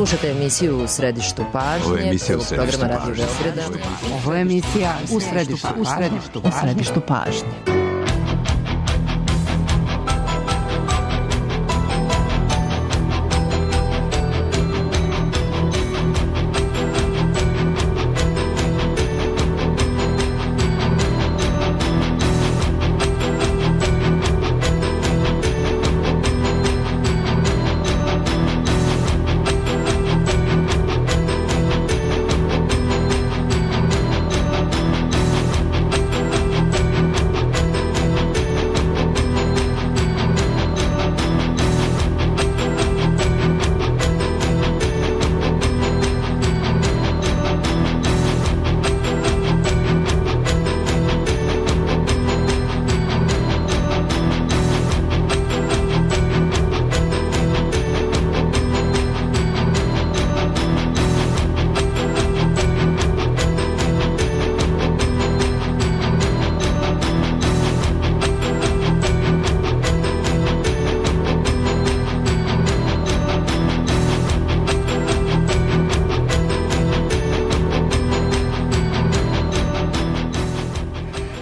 Slušate emisiju U središtu pažnje, prvog programa Radio Beograda. Ovo je emisija U središtu pažnje.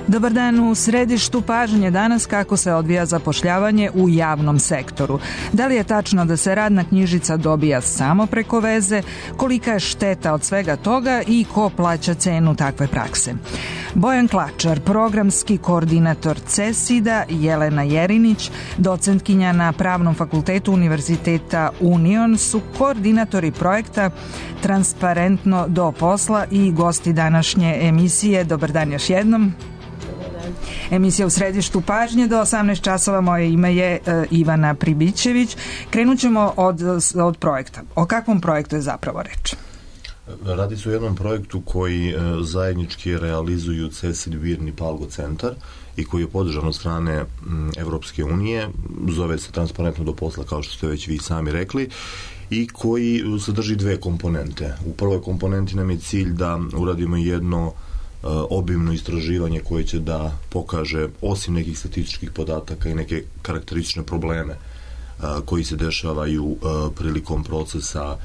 Dobar dan, u središtu pažnje danas kako se odvija zapošljavanje u javnom sektoru. Da li je tačno da se radna knjižica dobija samo preko veze, kolika je šteta od svega toga i ko plaća cenu takve prakse? Bojan Klačar, programski koordinator CESID-a, Jelena Jerinić, docentkinja na Pravnom fakultetu Univerziteta Union su koordinatori projekta Transparentno do posla i gosti današnje emisije. Dobar dan još jednom. Emisija U središtu pažnje do 18 časova. Moje ime je Ivana Pribićević. Krenut ćemo od projekta. O kakvom projektu je zapravo reč? Radi se o jednom projektu koji zajednički realizuju CESID, BIRN i Palgo centar i koji je podržan od strane Evropske unije. Zove se Transparentno do posla, kao što ste već vi sami rekli, i koji sadrži dve komponente. U prvoj komponenti nam je cilj da uradimo jedno obimno istraživanje koje će da pokaže, osim nekih statističkih podataka i neke karakteristične probleme koji se dešavaju prilikom procesa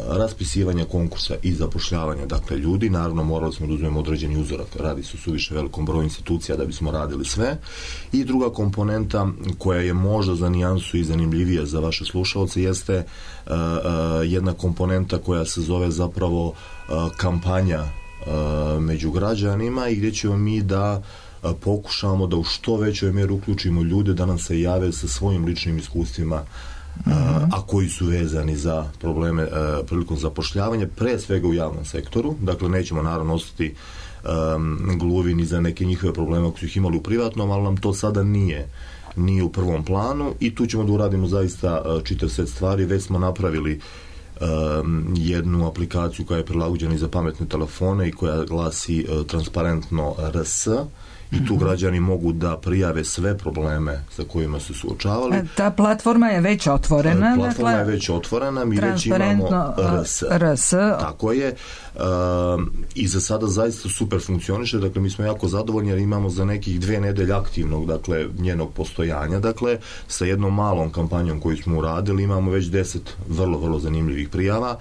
raspisivanja konkursa i zapošljavanja, dakle, ljudi. Naravno, morali smo da uzmemo određeni uzorak, radi se o suviše velikom broju institucija da bismo radili sve. I druga komponenta koja je možda za nijansu i zanimljivija za vaše slušalce jeste jedna komponenta koja se zove zapravo kampanja među građanima i gdje ćemo mi da pokušamo da u što većoj mjeri uključimo ljude da nam se jave sa svojim ličnim iskustvima, a koji su vezani za probleme prilikom zapošljavanja, pre svega u javnom sektoru. Dakle, nećemo naravno ostati gluvi ni za neke njihove probleme koji su ih imali u privatnom, ali nam to sada nije u prvom planu i tu ćemo da uradimo zaista čitav set stvari. Već smo napravili jednu aplikaciju koja je prilagođena i za pametne telefone i koja glasi Transparentno RS i tu građani mogu da prijave sve probleme sa kojima su suočavali. Ta platforma je već otvorena. Platforma je već otvorena, mi već imamo RS. Tako je. I za sada zaista super funkcioniše, dakle mi smo jako zadovoljni jer imamo za nekih 2 nedelje aktivnog, dakle, njenog postojanja, dakle, sa jednom malom kampanjom koju smo uradili, imamo već 10 vrlo, vrlo zanimljivih prijava,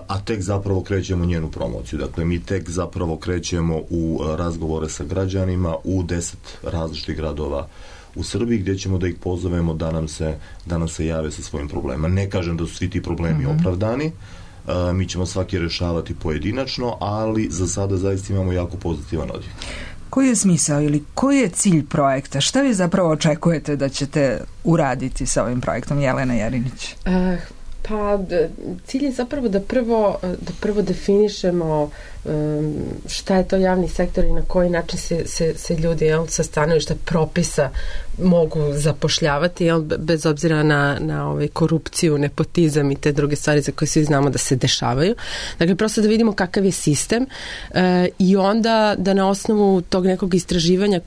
a tek zapravo krećemo njenu promociju. Dakle, mi tek zapravo krećemo u razgovore sa građanima u 10 različitih gradova u Srbiji, gdje ćemo da ih pozovemo da nam se jave sa svojim problemima. Ne kažem da su svi ti problemi opravdani, mi ćemo svaki rešavati pojedinačno, ali za sada zaista imamo jako pozitivan odjek. Koji je smisao ili koji je cilj projekta? Šta vi zapravo očekujete da ćete uraditi sa ovim projektom, Jelena Jerinić? Pa cilj je zapravo da prvo definišemo šta je to javni sektor i na koji način se ljudi sa stanovišta propisa mogu zapošljavati, bez obzira na korupciju, nepotizam i te druge stvari za koje svi znamo da se dešavaju. Dakle, prosto da vidimo kakav je sistem i onda da na osnovu tog nekog istraživanja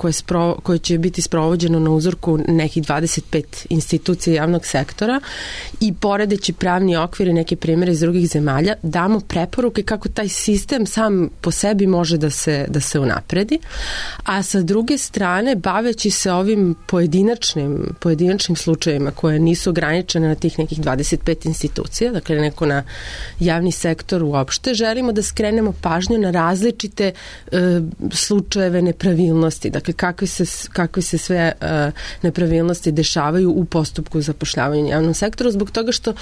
koje će biti sprovođeno na uzorku nekih 25 institucija javnog sektora i poredeći pravni okvir i neke primjere iz drugih zemalja, damo preporuke kako taj sistem sam po sebi može da se unapredi, a sa druge strane, baveći se ovim pojedinačnim slučajevima koje nisu ograničene na tih nekih 25 institucija, dakle neko na javni sektor uopšte, želimo da skrenemo pažnju na različite slučajeve nepravilnosti, dakle kakve se sve nepravilnosti dešavaju u postupku zapošljavanja u javnom sektoru, zbog toga što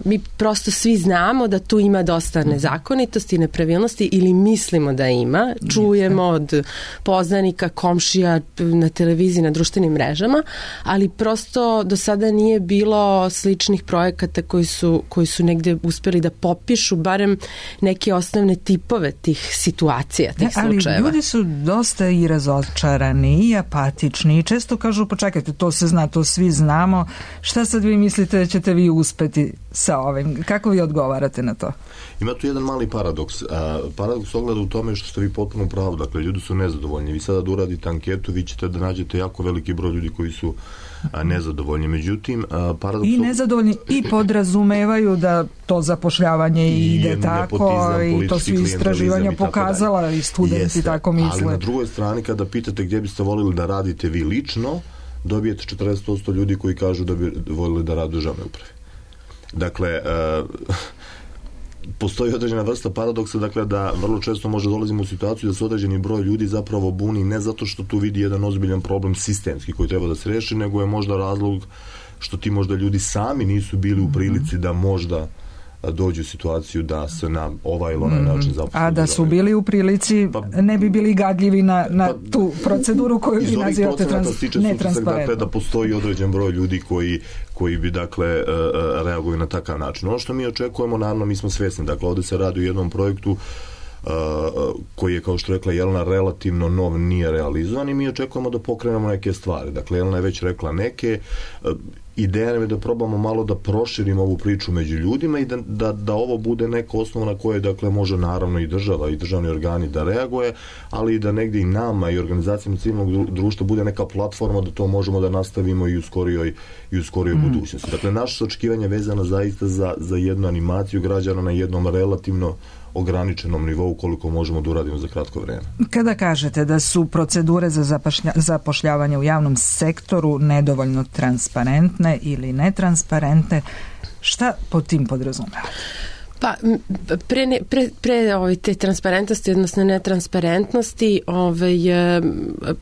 mi prosto svi znamo da tu ima dosta nezakonitosti i nepravilnosti ili mislimo da ima, čujemo od poznanika, komšija na televiziji, na društvenim mrežama, ali prosto do sada nije bilo sličnih projekata koji su negde uspeli da popišu barem neke osnovne tipove tih situacija, tih slučajeva. Ali ljudi su dosta i razočarani i apatični i često kažu, počekajte, to se zna, to svi znamo, šta sad vi mislite da ćete vi uspeti sa ovim? Kako vi odgovarate na to? Ima tu jedan mali paradoks. Paradoks ogleda u tome što ste vi potpuno pravo. Dakle, ljudi su nezadovoljni. Vi sada da uradite anketu, vi ćete da nađete jako veliki broj ljudi koji su nezadovoljni. Međutim, paradoks... I nezadovoljni i podrazumevaju da to zapošljavanje ide tako i to su istraživanja pokazala i studenti tako misle. Ali na drugoj strani, kada pitate gdje biste volili da radite vi lično, dobijete 40% ljudi koji kažu da bi volili da rade u državnoj upravi. Dakle, postoji određena vrsta paradoksa, dakle da vrlo često može dolazimo u situaciju da se određeni broj ljudi zapravo buni ne zato što tu vidi jedan ozbiljan problem sistemski koji treba da se reši, nego je možda razlog što ti možda ljudi sami nisu bili u prilici da možda dođu u situaciju da se na ovaj ili onaj način zaposle. A da su bili u prilici, ne bi bili gadljivi na tu proceduru koju vi nazivate netransparentno. Dakle, da postoji određen broj ljudi koji bi, dakle, reaguju na takav način. Ono što mi očekujemo, naravno, mi smo svjesni. Dakle, ovdje se radi o jednom projektu koji je, kao što rekla Jelena, relativno nov, nije realizovan i mi očekujemo da pokrenemo neke stvari. Dakle, Jelena je već rekla neke. Ideja je da probamo malo da proširimo ovu priču među ljudima i da ovo bude neka osnova na koje, dakle, može naravno i država i državni organi da reaguje, ali i da negdje i nama i organizacijama civilnog društva bude neka platforma da to možemo da nastavimo i u skorijoj budućnosti. Dakle, naše očekivanje vezano zaista za jednu animaciju građana na jednom relativno ograničenom nivou koliko možemo da uradimo za kratko vreme. Kada kažete da su procedure za zapošljavanje u javnom sektoru nedovoljno transparentne ili netransparentne, šta pod tim podrazumevate? Pa, pre te transparentnosti, odnosno netransparentnosti,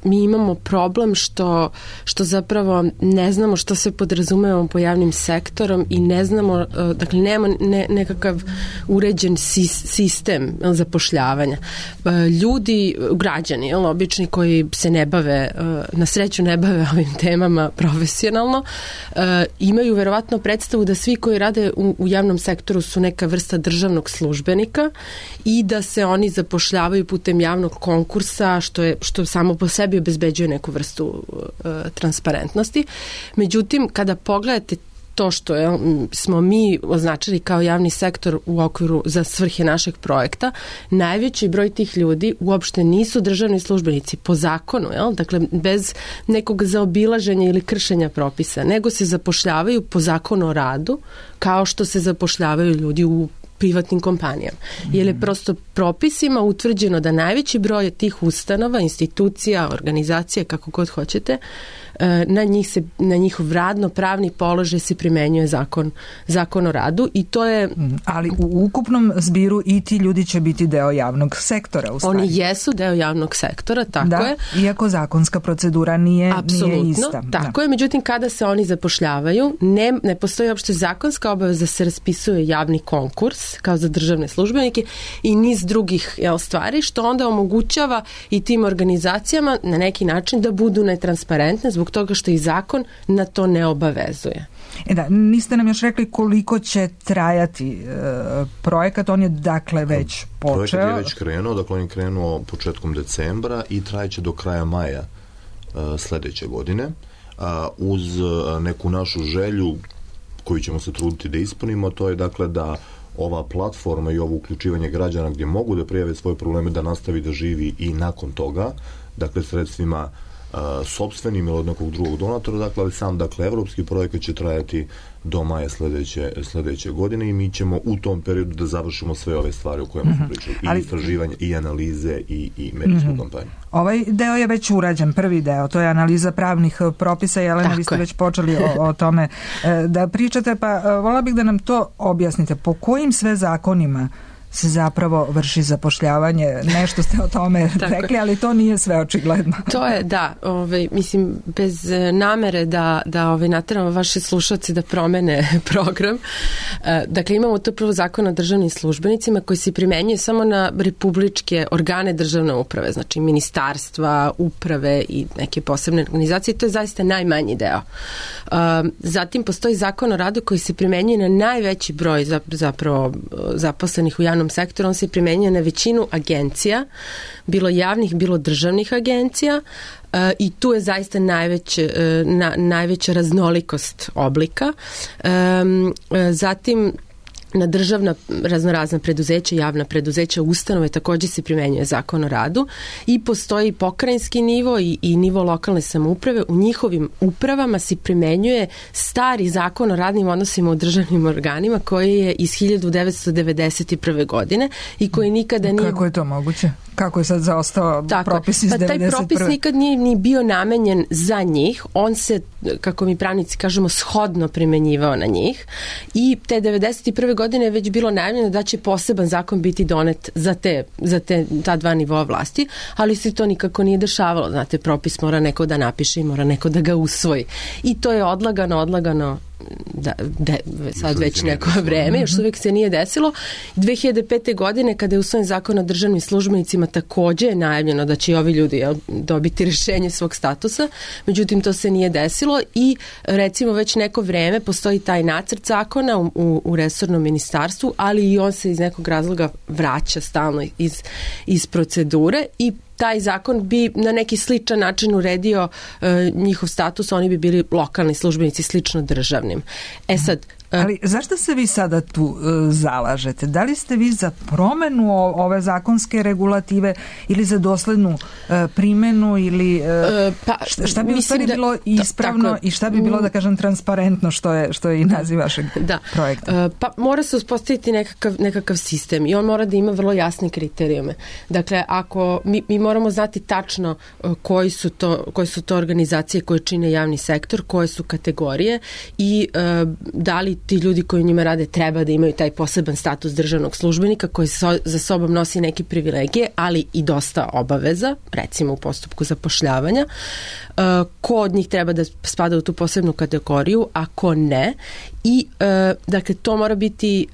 mi imamo problem što zapravo ne znamo što se podrazumevamo po javnim sektorom i ne znamo, dakle, nema nekakav uređen sistem zapošljavanja. Ljudi, građani, obični koji se ne bave, na sreću ne bave ovim temama profesionalno, imaju verovatno predstavu da svi koji rade u javnom sektoru su neka vrsta državnog službenika i da se oni zapošljavaju putem javnog konkursa, što samo po sebi obezbeđuje neku vrstu transparentnosti. Međutim, kada pogledate to što smo mi označili kao javni sektor u okviru za svrhe našeg projekta, najveći broj tih ljudi uopšte nisu državni službenici po zakonu, dakle bez nekog zaobilaženja ili kršenja propisa, nego se zapošljavaju po zakonu o radu, kao što se zapošljavaju ljudi u privatnim kompanijama. Jer je prosto propisima utvrđeno da najveći broj tih ustanova, institucija, organizacija, kako god hoćete, na njihov radno-pravni položaj se primenjuje zakon o radu i to je... Ali u ukupnom zbiru i ti ljudi će biti deo javnog sektora. Oni jesu deo javnog sektora, tako je. Iako zakonska procedura nije ista. Tako je, međutim kada se oni zapošljavaju, ne postoji uopšte zakonska obaveza da se raspisuje javni konkurs kao za državne službenike i niz drugih stvari, što onda omogućava i tim organizacijama na neki način da budu netransparentne zbog toga što i zakon na to ne obavezuje. Niste nam još rekli koliko će trajati projekat, on je dakle već počeo. Projekat je već krenuo, dakle on je krenuo početkom decembra i trajeće do kraja maja sljedeće godine, uz neku našu želju koju ćemo se truditi da ispunimo, to je dakle da ova platforma i ovo uključivanje građana gdje mogu da prijave svoje probleme da nastavi da živi i nakon toga, dakle sredstvima sopstvenim ili od nekog drugog donatora, dakle, ali sam, dakle, evropski projekat će trajati do maja sledeće godine i mi ćemo u tom periodu da završimo sve ove stvari o kojima smo pričali. I istraživanje, i analize, i medijsku kampanju. Ovaj deo je već urađen, prvi deo, to je analiza pravnih propisa. Jelena, vi ste već počeli o tome da pričate, pa volila bih da nam to objasnite. Po kojim sve zakonima se zapravo vrši zapošljavanje? Nešto ste o tome rekli, ali to nije sve očigledno. To je, da, mislim, bez namere da nateramo vaše slušalce da promene program. Dakle, imamo to prvo zakon o državnim službenicima koji se primenjuje samo na republičke organe državne uprave, znači ministarstva, uprave i neke posebne organizacije. To je zaista najmanji deo. Zatim postoji zakon o radu koji se primenjuje na najveći broj zapravo zaposlenih u javnom sektoru. On se primenjuje na većinu agencija, bilo javnih, bilo državnih agencija, i tu je zaista najveća raznolikost oblika. Zatim na državna raznorazna preduzeća, javna preduzeća, ustanove također se primenjuje zakon o radu i postoji pokrajinski nivo i nivo lokalne samouprave. U njihovim upravama se primenjuje stari zakon o radnim odnosima u državnim organima koji je iz 1991. godine i koji nikada nije... Kako je to moguće? Kako je sad zaostao propis iz 1991. Taj propis nikad nije ni bio namenjen za njih. On se, kako mi pravnici kažemo, shodno primenjivao na njih i te 1991. godine je već bilo najavljeno da će poseban zakon biti donet za ta dva nivoa vlasti, ali se to nikako nije dešavalo. Znate, propis mora neko da napiše i mora neko da ga usvoji. I to je odlagano sad već neko vreme, još uvijek se nije desilo. 2005. godine kada je usvojen zakon o državnim službenicima također je najavljeno da će i ovi ljudi dobiti rješenje svog statusa, međutim to se nije desilo i recimo već neko vreme postoji taj nacrt zakona u resornom ministarstvu, ali i on se iz nekog razloga vraća stalno iz procedure i taj zakon bi na neki sličan način uredio njihov status, oni bi bili lokalni službenici slično državnim. Sad, ali zašto se vi sada tu zalažete? Da li ste vi za promenu ove zakonske regulative ili za doslednu primjenu ili šta bi u stvari bilo ispravno i šta bi bilo, da kažem, transparentno, što je i naziv vašeg projekta? Pa mora se uspostaviti nekakav sistem i on mora da ima vrlo jasne kriterijume. Dakle, ako mi moramo znati tačno koji su to organizacije koje čine javni sektor, koje su kategorije i da li ti ljudi koji u njima rade treba da imaju taj poseban status državnog službenika koji za sobom nosi neke privilegije, ali i dosta obaveza, recimo u postupku zapošljavanja. Ko od njih treba da spada u tu posebnu kategoriju, a ko ne. I dakle, to mora biti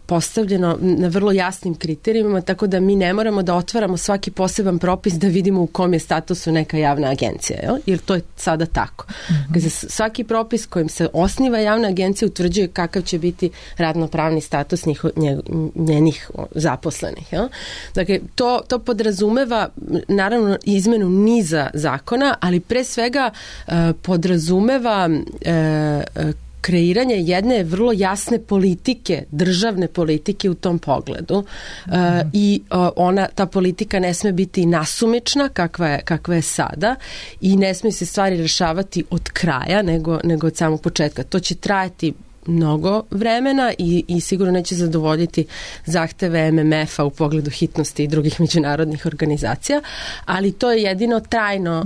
postavljeno na vrlo jasnim kriterijima, tako da mi ne moramo da otvaramo svaki poseban propis da vidimo u kom je statusu neka javna agencija, jer to je sada tako. Za svaki propis kojim se osniva javna agencija utvrđuje kakav će biti radnopravni status njenih zaposlenih. Dakle, to podrazumeva naravno izmenu niza zakona, ali pre svega podrazumeva kreiranje jedne vrlo jasne politike, državne politike u tom pogledu i ta politika ne sme biti nasumična kakva je sada i ne sme se stvari rešavati od kraja nego od samog početka. To će trajati mnogo vremena i sigurno neće zadovoljiti zahteve MMF-a u pogledu hitnosti i drugih međunarodnih organizacija, ali to je jedino trajno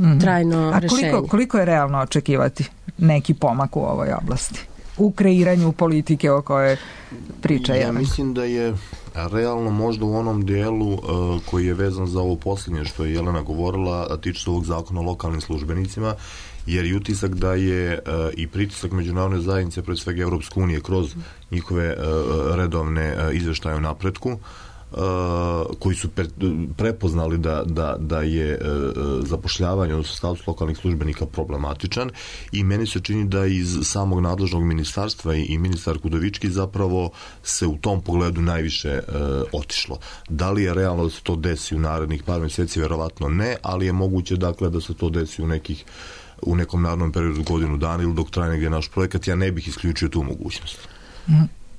rešenje. A koliko je realno očekivati neki pomak u ovoj oblasti? U kreiranju politike o kojoj priča Ja mislim da je realno možda u onom dijelu koji je vezan za ovo posljednje što je Jelena govorila, a tiče se ovog zakona o lokalnim službenicima, jer je utisak da je i pritisak međunarodne zajednice, pre svega Evropske unije, kroz njihove redovne izveštaje o napretku, koji su prepoznali da je zapošljavanje, odnosno status lokalnih službenika problematičan i meni se čini da iz samog nadležnog ministarstva i ministar Udovički zapravo se u tom pogledu najviše otišlo. Da li je realno da se to desi u narednih par mjeseci? Verovatno ne, ali je moguće dakle da se to desi u nekom narednom periodu godinu dana ili dok traje negdje naš projekat. Ja ne bih isključio tu mogućnost.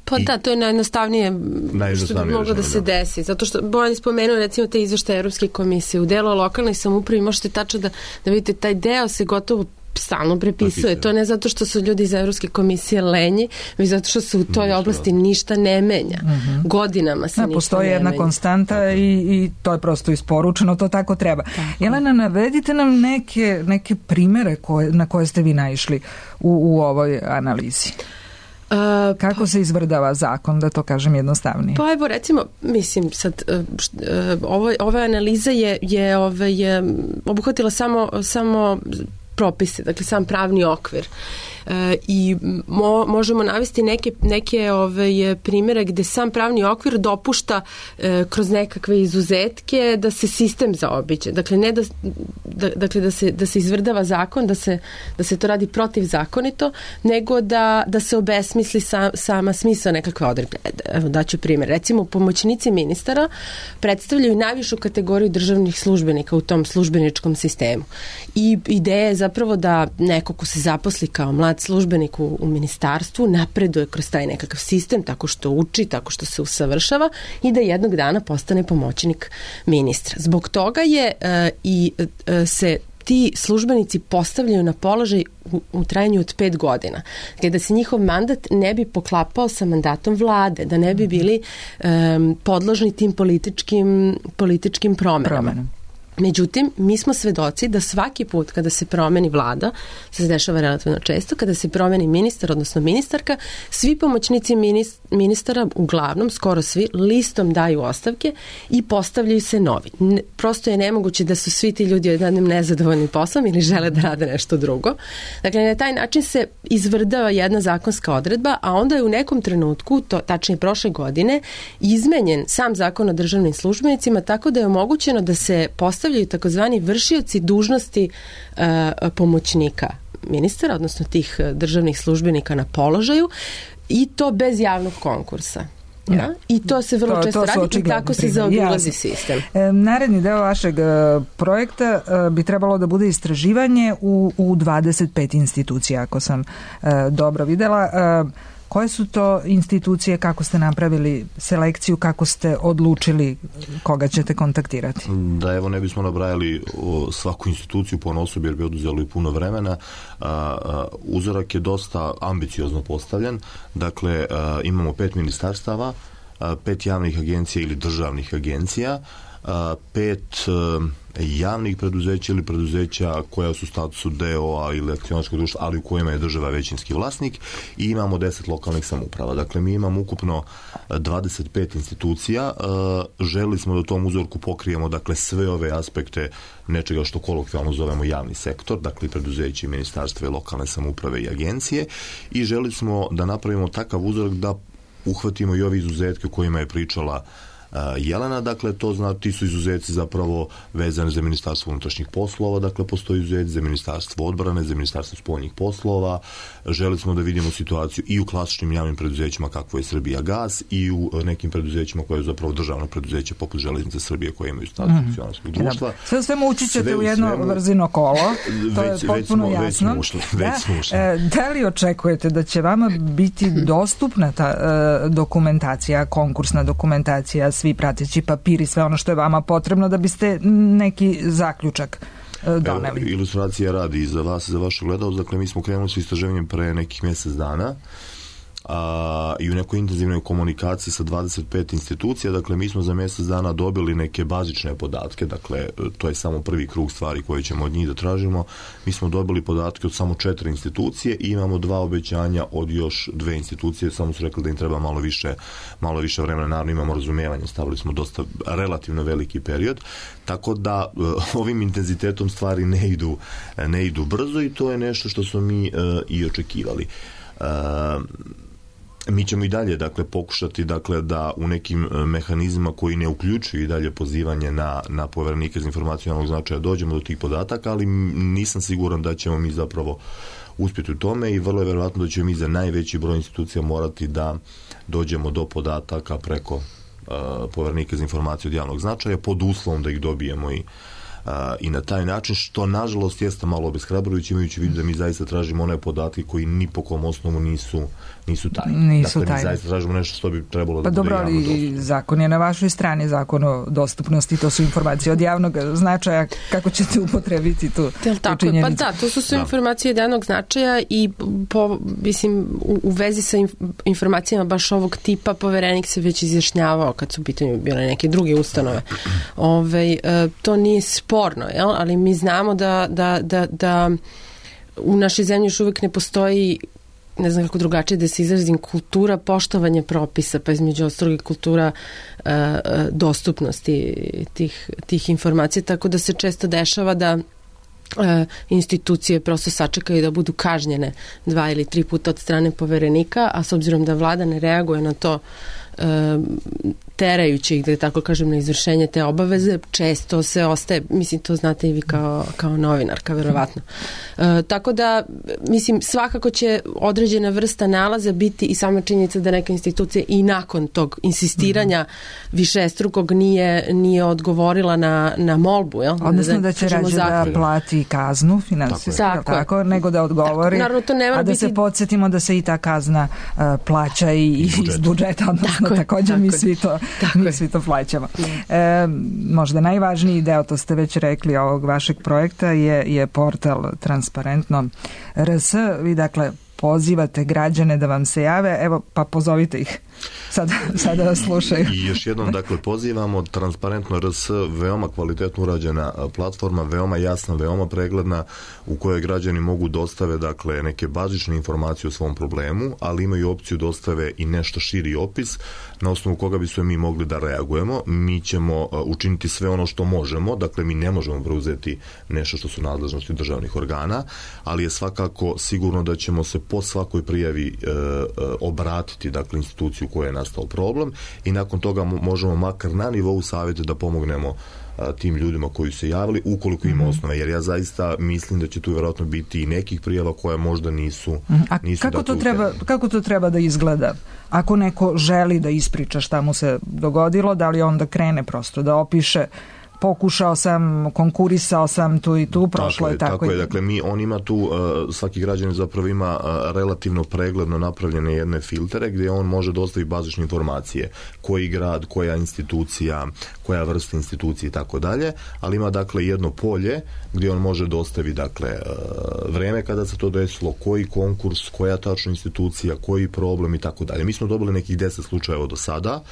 Pa da, to je najjednostavnije što bi moglo da se desi. Zato što Bojan je spomenuo recimo te izveštaje Evropske komisije. U delu lokalnoj samoupravi možete tačno da vidite taj deo se gotovo stalno prepisuje. To ne zato što su ljudi iz Evropske komisije lenji, već zato što se u toj oblasti ništa ne menja. Godinama se ništa ne menja. Postoji jedna konstanta i to je prosto isporučeno, to tako treba. Jelena, navedite nam neke primere na koje ste vi naišli u ovoj analizi. Kako se izvrdava zakon, da to kažem jednostavnije? Pa evo recimo, mislim sad ova analiza je obuhvatila samo propise, dakle sam pravni okvir. I možemo navesti neke primjere gde sam pravni okvir dopušta kroz nekakve izuzetke da se sistem zaobiđe. Dakle, ne da se izvrdava zakon, da se to radi protivzakonito, nego da se obesmisli sama smisao nekakve odredbe. Evo daću primjer. Recimo, pomoćnici ministara predstavljaju najvišu kategoriju državnih službenika u tom službeničkom sistemu. I ideja je zapravo da neko ko se zaposli kao mlad službenik u ministarstvu napreduje kroz taj nekakav sistem tako što uči, tako što se usavršava i da jednog dana postane pomoćnik ministra. Zbog toga je se ti službenici postavljaju na položaj u trajanju od 5 godina, da se njihov mandat ne bi poklapao sa mandatom vlade, da ne bi bili podložni tim političkim promenama. Međutim, mi smo svedoci da svaki put kada se promeni vlada, se dešava relativno često, kada se promeni ministar, odnosno ministarka, svi pomoćnici ministara, uglavnom, skoro svi, listom daju ostavke i postavljaju se novi. Prosto je nemoguće da su svi ti ljudi odjednom nezadovoljni poslom ili žele da rade nešto drugo. Dakle, na taj način se izvrdava jedna zakonska odredba, a onda je u nekom trenutku, tačnije prošle godine, izmenjen sam zakon o državnim službenicima tako da je omogućeno da se postavljaju takozvani vršioci dužnosti pomoćnika ministara, odnosno tih državnih službenika na položaju i to bez javnog konkursa. Ja. I to se vrlo često radi i tako se zaobilazi sistem. Naredni deo vašeg projekta bi trebalo da bude istraživanje u 25 institucija, ako sam dobro videla. Koje su to institucije, kako ste napravili selekciju, kako ste odlučili koga ćete kontaktirati? Da, evo ne bismo nabrajali svaku instituciju ponosob jer bi oduzelo i puno vremena. Uzorak je dosta ambiciozno postavljen. Dakle, imamo 5 ministarstava, 5 javnih agencija ili državnih agencija, 5 javnih preduzeća ili preduzeća koja su u statusu DO-a ili akcionarskog društva, ali u kojima je država većinski vlasnik i imamo 10 lokalnih samouprava. Dakle, mi imamo ukupno 25 institucija. Želili smo da u tom uzorku pokrijemo dakle sve ove aspekte nečega što kolokvijalno zovemo javni sektor, dakle preduzeće, ministarstva i lokalne samouprave i agencije i želili smo da napravimo takav uzorak da uhvatimo i ove izuzetke o kojima je pričala Jelena, dakle ti su izuzeci zapravo vezani za Ministarstvo unutrašnjih poslova, dakle postoji izuzet za Ministarstvo odbrane, za Ministarstvo spoljnih poslova. Želi smo da vidimo situaciju i u klasičnim javnim preduzećima kakvo je Srbijagas i u nekim preduzećima koje je zapravo državno preduzeće poput Železnice Srbije koje imaju status akcionarskog društva. Sve u svemu ući ćete u jedno vrzino kolo, to je potpuno jasno. Da li očekujete da će vama biti dostupna ta dokumentacija, konkursna dokumentacija, svi prateći papiri, sve ono što je vama potrebno da biste neki zaključak doneli? Ilustracija radi i za vas i za vašu gledalce. Dakle, mi smo krenuli s istraživanjem pre nekih mjesec dana i u nekoj intenzivnoj komunikaciji sa 25 institucija. Dakle, mi smo za mjesec dana dobili neke bazične podatke, dakle, to je samo prvi krug stvari koje ćemo od njih da tražimo. Mi smo dobili podatke od samo 4 institucije i imamo 2 obećanja od još 2 institucije, samo su rekli da im treba malo više vremena, naravno imamo razumijevanje, stavili smo dosta relativno veliki period, tako da ovim intenzitetom stvari ne idu brzo i to je nešto što smo mi i očekivali. Mi ćemo i dalje pokušati da u nekim mehanizmima koji ne uključuju i dalje pozivanje na poverenike za informaciju javnog značaja dođemo do tih podataka, ali nisam siguran da ćemo mi zapravo uspjeti u tome i vrlo je vjerojatno da ćemo mi za najveći broj institucija morati da dođemo do podataka preko poverenika za informaciju od javnog značaja pod uslovom da ih dobijemo i i na taj način, što nažalost jeste malo obeshrabrujući, imajući vidu da mi zaista tražimo one podatke koji ni po kom osnovu nisu tajni. Dakle, mi zaista tražimo nešto što bi trebalo da bude javno dostupno. Dobro, i zakon je na vašoj strani, zakon o dostupnosti, to su informacije od javnog značaja, kako ćete upotrebiti tu činjenicu? Pa da, to su informacije od javnog značaja i mislim, u vezi sa informacijama baš ovog tipa Poverenik se već izjašnjavao kad su u pitanju bile neke druge ustanove. To nije sporno, jel? Ali mi znamo da u našoj zemlji još uvijek ne postoji, ne znam kako drugačije da se izrazim, kultura poštovanja propisa, pa između ostalog i kultura dostupnosti tih informacija, tako da se često dešava da institucije prosto sačekaju da budu kažnjene 2 ili 3 puta od strane Poverenika, a s obzirom da vlada ne reaguje na to terajući ih, da tako kažem, na izvršenje te obaveze, često se ostaje, mislim, to znate i vi kao novinarka, verovatno. Tako da, mislim, svakako će određena vrsta nalaza biti i sama činjenica da neka institucija i nakon tog insistiranja višestrukog nije odgovorila na molbu, jel? Odnosno da će rađe da plati kaznu finansijsku, tako, nego da odgovori, naravno, to a da se podsjetimo da se i ta kazna plaća i iz budžeta, odnosno također mi svi to plaćamo. Možda najvažniji deo, to ste već rekli, ovog vašeg projekta je portal Transparentno RS. Vi dakle pozivate građane da vam se jave, evo pa pozovite ih. Sada vas slušaju. I još jednom, dakle, pozivamo Transparentno RS, veoma kvalitetno urađena platforma, veoma jasna, veoma pregledna, u kojoj građani mogu dostave, dakle, neke bazične informacije o svom problemu, ali imaju opciju dostave i nešto širi opis, na osnovu koga bi sve mi mogli da reagujemo. Mi ćemo učiniti sve ono što možemo, dakle, mi ne možemo preuzeti nešto što su nadležnosti državnih organa, ali je svakako sigurno da ćemo se po svakoj prijavi obratiti, dakle, instituciju koja je nastao problem i nakon toga možemo makar na nivou savjeta da pomognemo tim ljudima koji su se javili, ukoliko ima osnove, jer ja zaista mislim da će tu vjerojatno biti i nekih prijava koje možda nisu kako to treba da izgleda? Ako neko želi da ispriča šta mu se dogodilo, da li onda krene prosto da opiše pokušao sam, konkurisao sam tu i tu, prošlo je tako. Tako je, dakle, on ima tu, svaki građanin zapravo ima relativno pregledno napravljene jedne filtere gdje on može dostaviti bazične informacije, koji grad, koja institucija, koja vrsta institucije i tako dalje, ali ima dakle jedno polje gdje on može dostaviti dakle vreme kada se to desilo, koji konkurs, koja tačna institucija, koji problem i tako dalje. Mi smo dobili nekih 10 slučajeva do sada.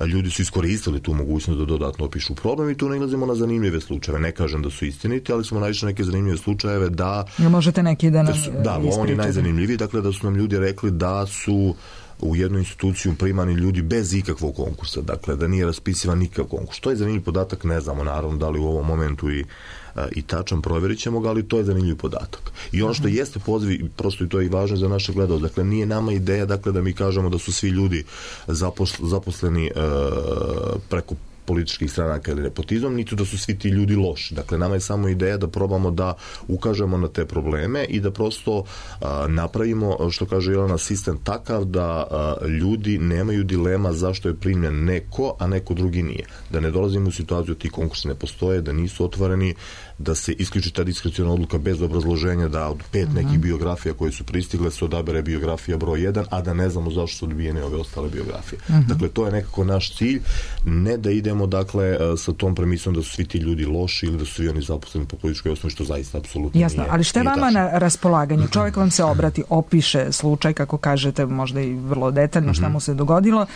Ljudi su iskoristili tu mogućnost da dodatno opišu problem i tu nailazimo na zanimljive slučajeve. Ne kažem da su istiniti, ali smo naišli neke zanimljive slučajeve da... Možete neki da nam ispričate? Da, on je najzanimljiviji, dakle da su nam ljudi rekli da su u jednu instituciju primani ljudi bez ikakvog konkursa, dakle da nije raspisivan nikakav konkurs. To je zanimljiv podatak, ne znamo naravno da li u ovom momentu i tačan, provjerit ćemo ga, ali to je zanimljiv podatak. I ono što jeste poziv, prosto i to je i važno za naše gledalce, dakle nije nama ideja dakle da mi kažemo da su svi ljudi zaposleni preko političkih stranaka ili nepotizam, niti da su svi ti ljudi loši. Dakle, nama je samo ideja da probamo da ukažemo na te probleme i da prosto napravimo, što kaže Jelena, sistem takav da ljudi nemaju dilema zašto je primljen neko, a neko drugi nije. Da ne dolazimo u situaciju da ti konkursi ne postoje, da nisu otvoreni, da se isključi ta diskreciona odluka bez obrazloženja da od 5 nekih biografija koje su pristigle se odabere biografija broj 1, a da ne znamo zašto su odbijene ove ostale biografije. Dakle, to je nekako naš cilj, ne da idemo dakle sa tom premisom da su svi ti ljudi loši ili da su svi oni zaposleni po političkoj osnovi, što zaista apsolutno jasno, ali što je vama na raspolaganju? Čovjek vam se obrati, opiše slučaj, kako kažete, možda i vrlo detaljno šta mu se dogodilo.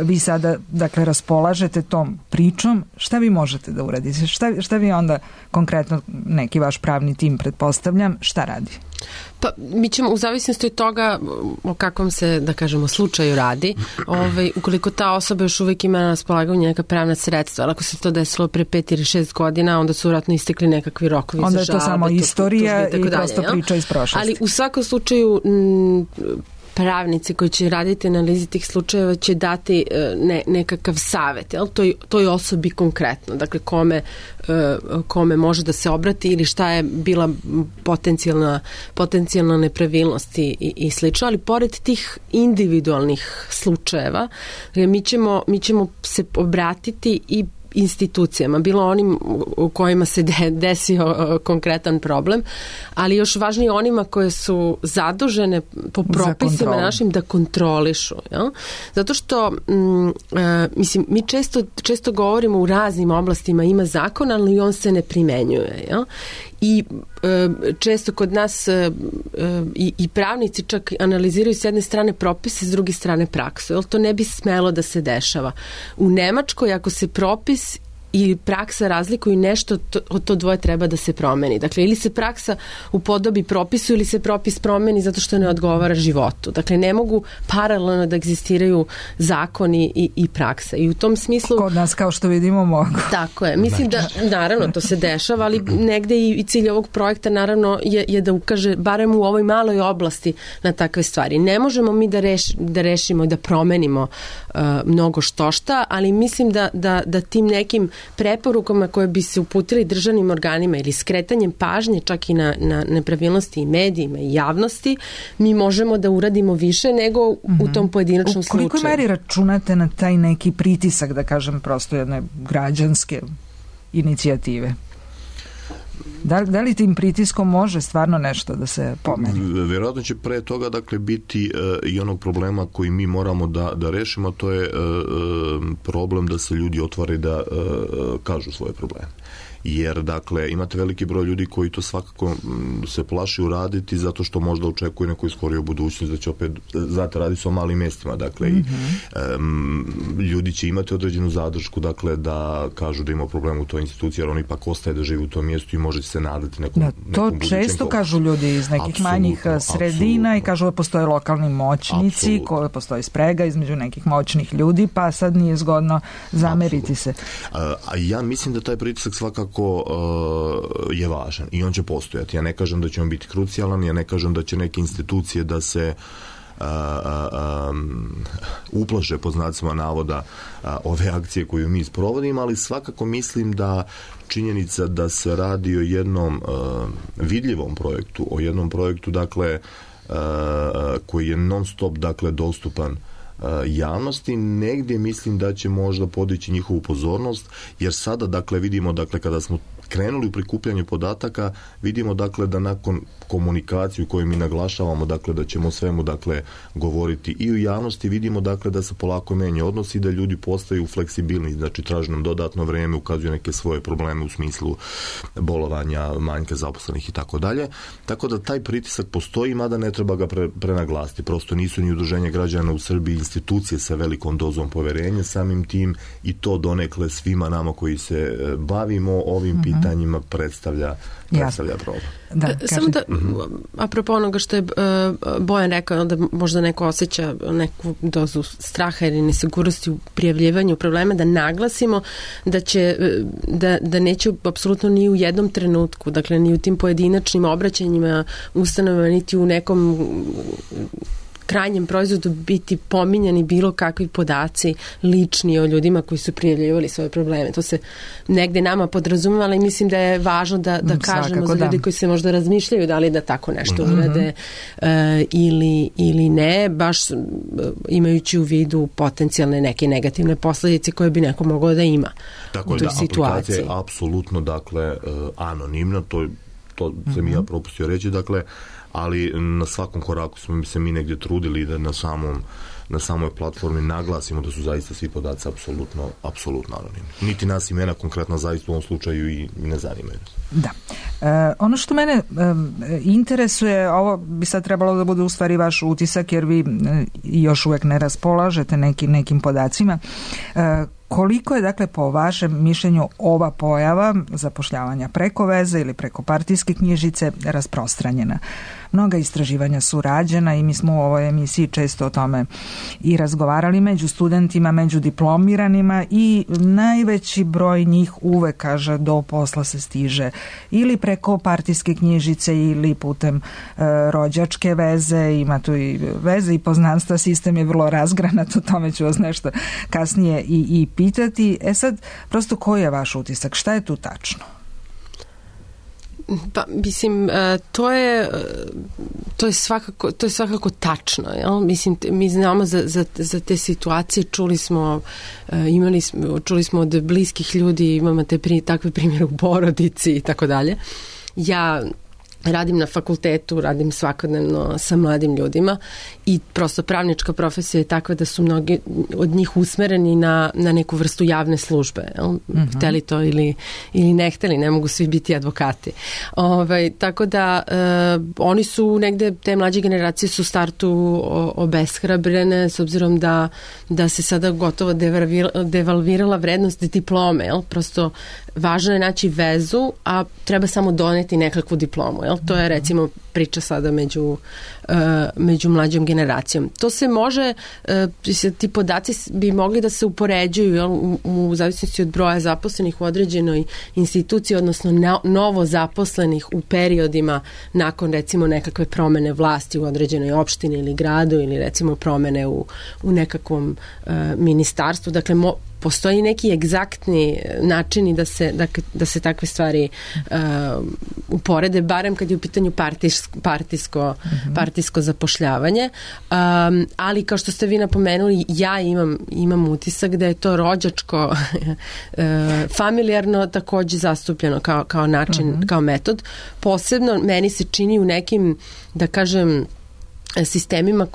Vi sada, dakle, raspolažete tom pričom. Šta vi možete da uradite? Šta vi onda konkretno, neki vaš pravni tim, pretpostavljam, šta radi? Pa, mi ćemo, u zavisnosti od toga o kakvom se, da kažemo, slučaju radi, ukoliko ta osoba još uvijek ima na raspolaganju neka pravna sredstva, ali ako se to desilo pre 5 ili 6 godina, onda su vjerojatno istekli nekakvi rokovi za žalbe. Onda je to samo istorija i prosto priča iz prošlosti. Ali u svakom slučaju pravnici koji će raditi analizi tih slučajeva će dati nekakav savjet, toj osobi konkretno, dakle kome može da se obrati ili šta je bila potencijalna nepravilnost i slično, ali pored tih individualnih slučajeva mi ćemo se obratiti i institucijama, bilo onim u kojima se desio konkretan problem, ali još važnije onima koje su zadužene po propisima našim da kontrolišu. Ja? Zato što mislim, mi često govorimo u raznim oblastima ima zakon, ali on se ne primenjuje. Ja? I često kod nas i pravnici čak analiziraju s jedne strane propise, s druge strane praksu. Jer to ne bi smelo da se dešava. U Nemačkoj ako se propis i praksa razlikuju nešto, to dvoje treba da se promeni. Dakle, ili se praksa upodobi propisu ili se propis promeni zato što ne odgovara životu. Dakle, ne mogu paralelno da egzistiraju zakoni i praksa. I u tom smislu... Kod nas, kao što vidimo, mogu. Tako je. Mislim da, naravno, to se dešava, ali negde i cilj ovog projekta, naravno, je da ukaže, barem u ovoj maloj oblasti, na takve stvari. Ne možemo mi da rešimo, da promenimo mnogo štošta, ali mislim da tim nekim preporukama koje bi se uputili državnim organima ili skretanjem pažnje čak i na nepravilnosti i medijima i javnosti, mi možemo da uradimo više nego u tom pojedinačnom slučaju. U kolikoj meri računate na taj neki pritisak, da kažem, prosto jedne građanske inicijative? Da li tim pritiskom može stvarno nešto da se pomeni? Vjerojatno će pre toga dakle biti i onog problema koji mi moramo da rešimo, to je problem da se ljudi otvore da kažu svoje probleme. Jer, dakle, imate veliki broj ljudi koji to svakako se plaši uraditi zato što možda očekuje neku iskoriju budućnost da će opet, znate, radi se o malim mestima, dakle, i ljudi će imati određenu zadršku, dakle, da kažu da ima problem u toj instituciji, jer on ipak ostaje da živi u tom mjestu i može se nadati nekom to često kažu ljudi iz nekih manjih sredina i kažu da postoje lokalni moćnici, koje postoji sprega između nekih moćnih ljudi, pa sad nije zgodno zameriti se. A ja mislim da taj pritisak svakako je važan i on će postojati. Ja ne kažem da će on biti krucijalan, ja ne kažem da će neke institucije da se uplaše, po znacima navoda, ove akcije koju mi sprovodimo, ali svakako mislim da činjenica da se radi o jednom vidljivom projektu, o jednom projektu, dakle, koji je non stop, dakle, dostupan javnosti, negdje mislim da će možda podići njihovu pozornost, jer sada, dakle, vidimo, dakle, kada smo krenuli u prikupljanje podataka, vidimo, dakle, da nakon komunikacije koju mi naglašavamo, dakle, da ćemo svemu, dakle, govoriti i u javnosti, vidimo, dakle, da se polako menja odnos i da ljudi postaju fleksibilni, znači traže nam dodatno vreme, ukazuju neke svoje probleme u smislu bolovanja, manjka zaposlenih i tako dalje. Tako da taj pritisak postoji, mada ne treba ga prenaglasiti. Prosto nisu ni udruženje građana u Srbiji institucije sa velikom dozom poverenja, samim tim i to donekle svima nama koji se bavimo ovim pitanjima predstavlja problem. Samo da, apropo onoga što je Bojan rekao, da možda neko osjeća neku dozu straha ili nesigurnosti u prijavljivanju problema, da naglasimo da će, da neće apsolutno ni u jednom trenutku, dakle ni u tim pojedinačnim obraćanjima ustanovama, niti u nekom krajnjem proizvodu biti pominjani bilo kakvi podaci lični o ljudima koji su prijavljivali svoje probleme. To se negde nama podrazumeva, ali mislim da je važno da kažemo za ljudi koji se možda razmišljaju da li da tako nešto urade ili ne, baš imajući u vidu potencijalne neke negativne posljedice koje bi neko moglo da ima u toj situaciji. Tako je, da, aplikacija je apsolutno, dakle, anonimna, to sam ja propustio reći, dakle, ali na svakom koraku smo se mi negdje trudili da na samoj platformi naglasimo da su zaista svi podaci apsolutno anonimni. Niti nas imena konkretno zaista u ovom slučaju i ne zanimaju. Da. Ono što mene interesuje, ovo bi sad trebalo da bude u stvari vaš utisak, jer vi još uvijek ne raspolažete nekim podacima. Koliko je, dakle, po vašem mišljenju ova pojava zapošljavanja preko veze ili preko partijske knjižice rasprostranjena? Mnoga istraživanja su rađena i mi smo u ovoj emisiji često o tome i razgovarali među studentima, među diplomiranima, i najveći broj njih uvek kaže do posla se stiže ili preko partijske knjižice ili putem rođačke veze. Ima tu i veze i poznanstva, sistem je vrlo razgranat, o tome ću vas nešto kasnije i pitati. Sad, prosto koji je vaš utisak? Šta je tu tačno? Pa, mislim, to je svakako tačno. Jel? Mislim, mi znamo za te situacije, čuli smo od bliskih ljudi, imamo takve primjere u porodici i tako dalje. Ja radim na fakultetu, radim svakodnevno sa mladim ljudima i prosto pravnička profesija je takva da su mnogi od njih usmereni na neku vrstu javne službe. Hteli to ili ne hteli, ne mogu svi biti advokati. Tako da oni su negde, te mlađe generacije su u startu obeshrabrene s obzirom da se sada gotovo devalvirala vrednost diplome. Prosto važno je naći vezu, a treba samo doneti nekakvu diplomu. To je recimo priča sada među mlađom generacijom. To se može, ti podaci bi mogli da se upoređuju u zavisnosti od broja zaposlenih u određenoj instituciji, odnosno novo zaposlenih u periodima nakon recimo nekakve promene vlasti u određenoj opštini ili gradu ili recimo promene u nekakvom ministarstvu. Dakle, postoji neki egzaktni načini da se takve stvari uporede, barem kad je u pitanju partijsko zapošljavanje. Ali kao što ste vi napomenuli, ja imam utisak da je to rođačko familijarno takođe zastupljeno kao način, kao metod. Posebno meni se čini u nekim, da kažem, sistemima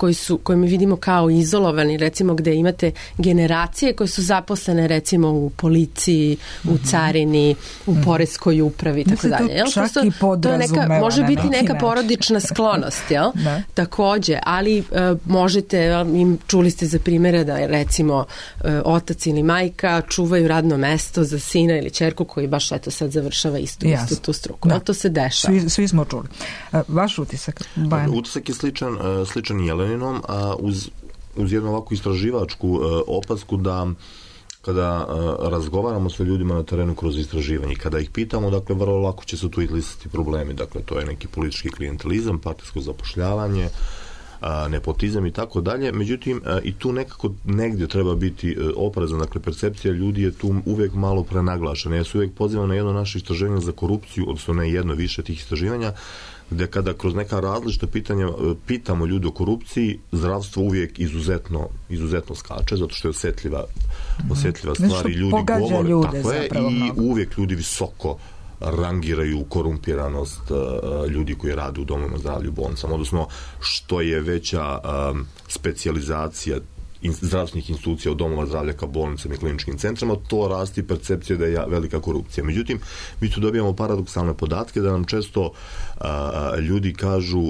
koji mi vidimo kao izolovani, recimo gde imate generacije koje su zaposlene recimo u policiji, u carini, u poreskoj upravi, tako dalje. To je može biti neka porodična sklonost, jel? Takođe, ali možete, čuli ste za primjere da recimo otac ili majka čuvaju radno mesto za sina ili ćerku koji baš sad završava istu tu struku. To se dešava. Svi smo čuli. Vaš utisak? Utisak je sličan Jeleninom, a uz jednu ovakvu istraživačku opasku da kada razgovaramo sa ljudima na terenu kroz istraživanje, kada ih pitamo, dakle, vrlo lako će se tu izlistiti problemi. Dakle, to je neki politički klijentelizam, partijsko zapošljavanje, nepotizam i tako dalje. Međutim, i tu nekako negdje treba biti oprezan. Dakle, percepcija ljudi je tu uvijek malo prenaglašena. Ja se uvijek pozivam na jedno naše istraživanje za korupciju, odnosno ne jedno, više tih istraživanja, gde kada kroz neka različita pitanja pitamo ljudi o korupciji, zdravstvo uvijek izuzetno skače, zato što je osjetljiva stvar i ljudi govore, tako je, i uvijek ljudi visoko rangiraju korumpiranost ljudi koji rade u domovima zdravlja, u bolnicama, odnosno što je veća specijalizacija zdravstvenih institucija od domova zdravlja ka bolnicama i kliničkim centrima, to rasti percepcija da je velika korupcija. Međutim, mi tu dobijamo paradoksalne podatke da nam često ljudi kažu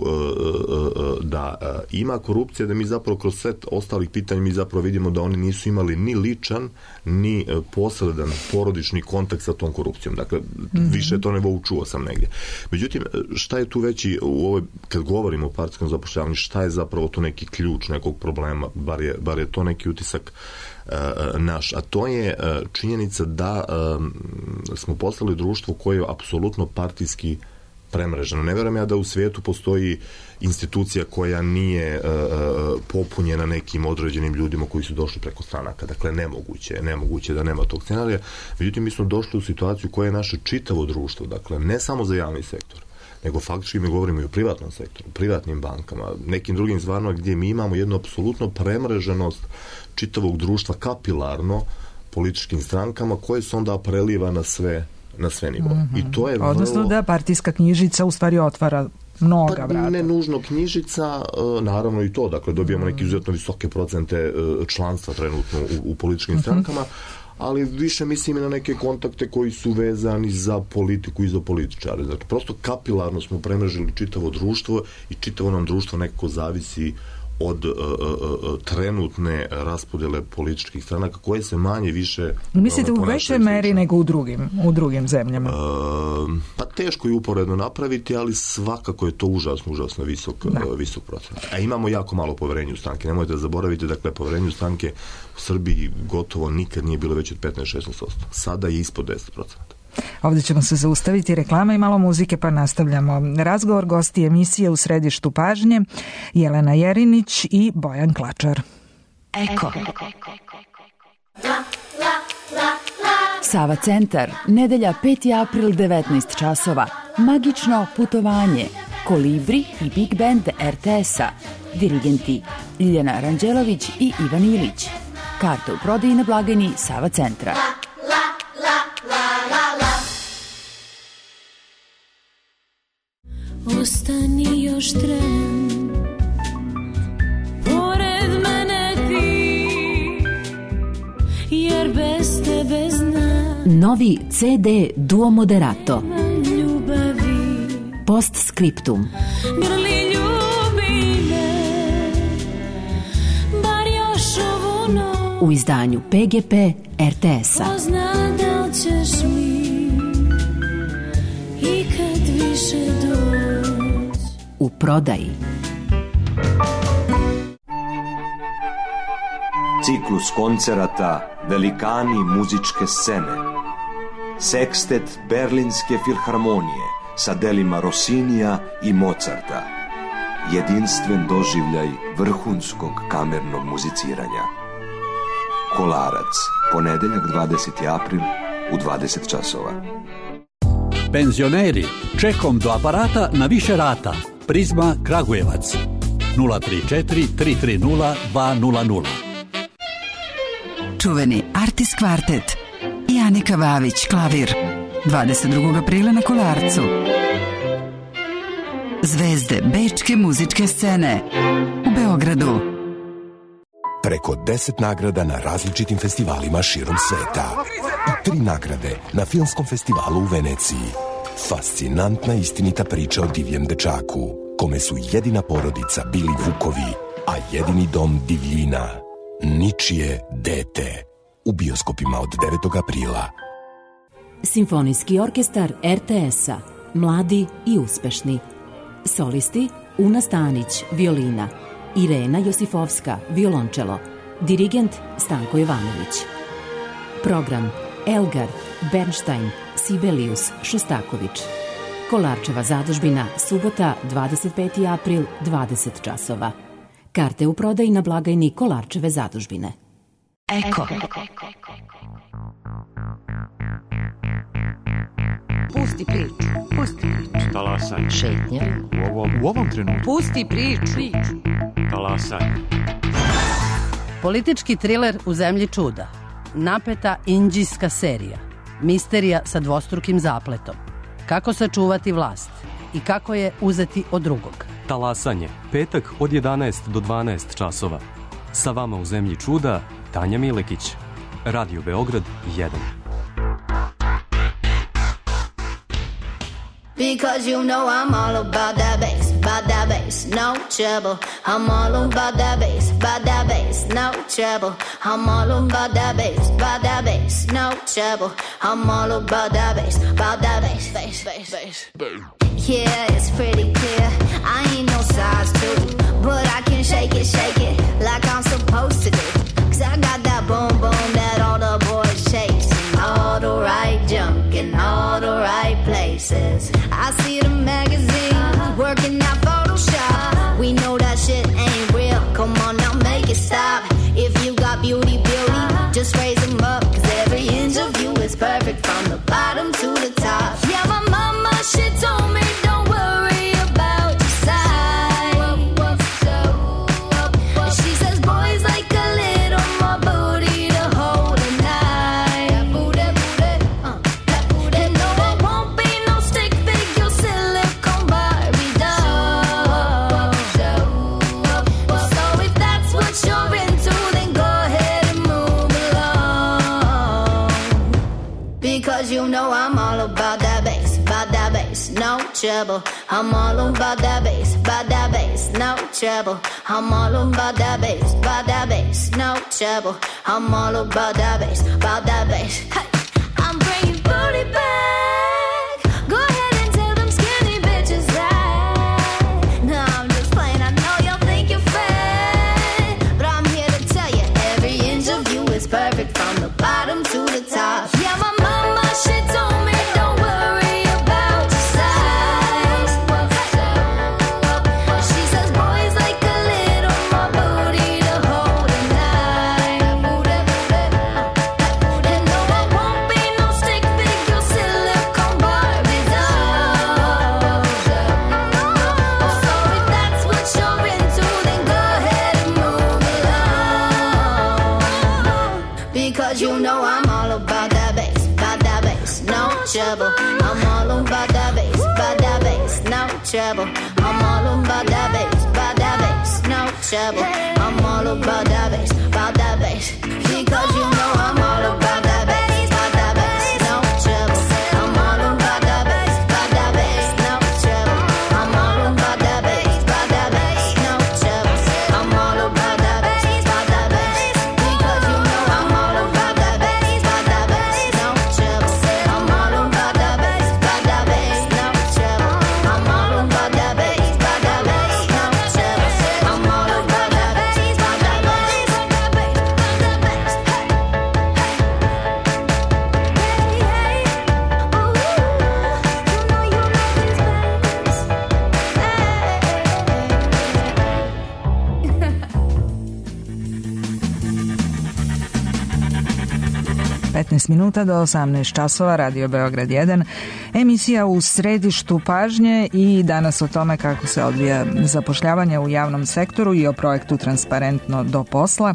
da ima korupcija, da mi zapravo kroz set ostalih pitanja mi zapravo vidimo da oni nisu imali ni ličan, ni posredan porodični kontakt sa tom korupcijom. Dakle, više to ne čuo sam negdje. Međutim, šta je tu veći u ovoj, kad govorimo o partijskom zapošljavanju, šta je zapravo to neki ključ nekog problema, bar je to neki utisak naš, a to je činjenica da smo postali društvo koje je apsolutno partijski premreženo. Ne vjerujem ja da u svijetu postoji institucija koja nije popunjena nekim određenim ljudima koji su došli preko stranaka. Dakle, nemoguće da nema tog scenarija. Međutim, mi smo došli u situaciju koja je naše čitavo društvo. Dakle, ne samo za javni sektor, nego faktički mi govorimo i o privatnom sektoru, privatnim bankama, nekim drugim stvarima gdje mi imamo jednu apsolutno premreženost čitavog društva kapilarno političkim strankama koje se onda preliva na sve nivoe. I to je odnosno da partijska knjižica u stvari otvara mnoga vrata. Ne nužno knjižica, naravno i to, dakle dobijamo neke izuzetno visoke procente članstva trenutno u političkim strankama, ali više mislim i na neke kontakte koji su vezani za politiku i za političare. Znači, prosto kapilarno smo premrežili čitavo društvo i čitavo nam društvo nekako zavisi od trenutne raspodjele političkih stranaka koje se manje više... Mislite u većoj meri nego u drugim zemljama? Pa teško je uporedno napraviti, ali svakako je to užasno visok procenat. A imamo jako malo poverenja u stranke. Nemojte da zaboravite, dakle, poverenje u stranke u Srbiji gotovo nikad nije bilo veće od 15-16%. Sada je ispod 10%. Ovdje ćemo se zaustaviti, reklama i malo muzike, pa nastavljamo. Razgovor, gosti emisije U središtu pažnje, Jelena Jerinić i Bojan Klačar. Eko. Sava centar, nedelja 5. april 19 časova. Magično putovanje, Kolibri i Big Band RTS-a, dirigenti Ljiljana Ranđelović i Ivan Ilić. Karte u prodaji na blagajni Sava centra. Ostani još tren, pored mene ti, jer bez tebe znam. Novi CD Duo Moderato. Postscriptum. Grli ljubi me, bar još ovu noć. U izdanju PGP RTS-a. Ko zna da li ćeš mi ikad više doći. U prodaji. Ciklus koncerata Velikani muzičke scene. Sekstet Berlinske filharmonije sa delima Rossinija i Mozarta. Jedinstven doživljaj vrhunskog kamernog muziciranja. Kolarac, ponedeljak 20. april u 20 časova. Penzioneri, čekom do aparata na više rata. Prizma Kragujevac 034 330 200. Čuveni Artis Kvartet i Anika Vavić klavir 22. aprila na Kolarcu. Zvezde bečke muzičke scene u Beogradu. Preko 10 nagrada na različitim festivalima širom sveta i 3 nagrade na Filmskom festivalu u Veneciji. Fascinantna istinita priča o divljem dečaku, kome su jedina porodica bili vukovi, a jedini dom divljina. Ničije dete. U bioskopima od 9. aprila. Simfonijski orkestar RTS-a. Mladi i uspešni. Solisti Una Stanić, violina. Irena Josifovska, violončelo. Dirigent Stanko Jovanović. Program Elgar, Bernstein, Sibelius, Šostaković. Kolarčeva zadužbina, subota, 25. april, 20 časova. Karte u prodaji na blagajni Kolarčeve zadužbine. Eko. Pusti priču. Pusti priču. Talasaj. Šetnja. U ovom trenutku. Pusti priču. Talasaj. Politički triler u zemlji čuda. Napeta indijska serija. Misterija sa dvostrukim zapletom. Kako sačuvati vlast i kako je uzeti od drugog. Talasanje, petak od 11 do 12 časova. Sa vama u zemlji čuda, Tanja Milekić. Radio Beograd 1. Because you know I'm all about that bass, no trouble. I'm all about that bass, no trouble. I'm all about that bass, no trouble. I'm all about that bass, bass. Yeah, it's pretty clear. I ain't no size 2, but I can shake it like I'm supposed to do. 'Cause I got that boom boom that all the boys chase. All the right junk in all the right places. I see the magazines working out Photoshop. We know that shit ain't real. Come on now, make it stop. If you got beauty, just raise them up. 'Cause every inch of you is perfect from the bottom to the top. Yeah, my mama, she told me don't worry about your size. She says boys like a little more booty to hold at night. And no, I won't be no stick figure silicone Barbie doll. So if that's what you're into, then go ahead and move along. Because you know I'm all about that bass, no trouble. I'm all about that bass, no trouble. I'm all about that bass, no trouble. I'm all about that bass. Hey, I'm bringing booty back. Go ahead and tell them skinny bitches that. No, I'm just playing. I know y'all think you're fat, but I'm here to tell you every inch of you is perfect from the bottom to the top. Yeah, my mama, she told me don't worry about your size. She says boys like a little more booty to hold at night. And no, I won't because you know I'm all about that bass, no trouble. I'm all about that bass, no trouble. I'm all about that bass, no trouble. I'm all about that bass, because you know I'm all about that bass, no trouble. I'm all about that bass, no trouble. I'm all about that bass, no trouble. I'm all about that bass, because you know I'm all about that bass, no trouble. I'm all about that bass, no trouble. I'm all about that bass, no trouble. I'm all about that bass, minuta do 18 časova, Radio Beograd 1, emisija u središtu pažnje i danas o tome kako se odvija zapošljavanje u javnom sektoru i o projektu Transparentno do posla.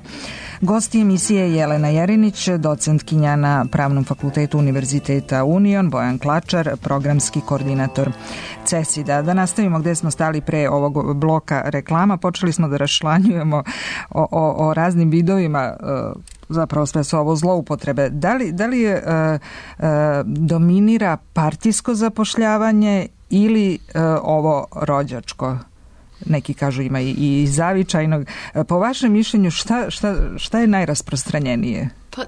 Gosti emisije Jelena Jerinić, docentkinja na Pravnom fakultetu Univerziteta Union, Bojan Klačar, programski koordinator CESID-a. Da nastavimo gde smo stali pre ovog bloka reklama, počeli smo da raščlanjujemo o raznim vidovima, zapravo sve su ovo zloupotrebe. Da li dominira partijsko zapošljavanje ili ovo rođačko? Neki kažu ima i zavičajnog. Po vašem mišljenju šta je najrasprostranjenije? Pa,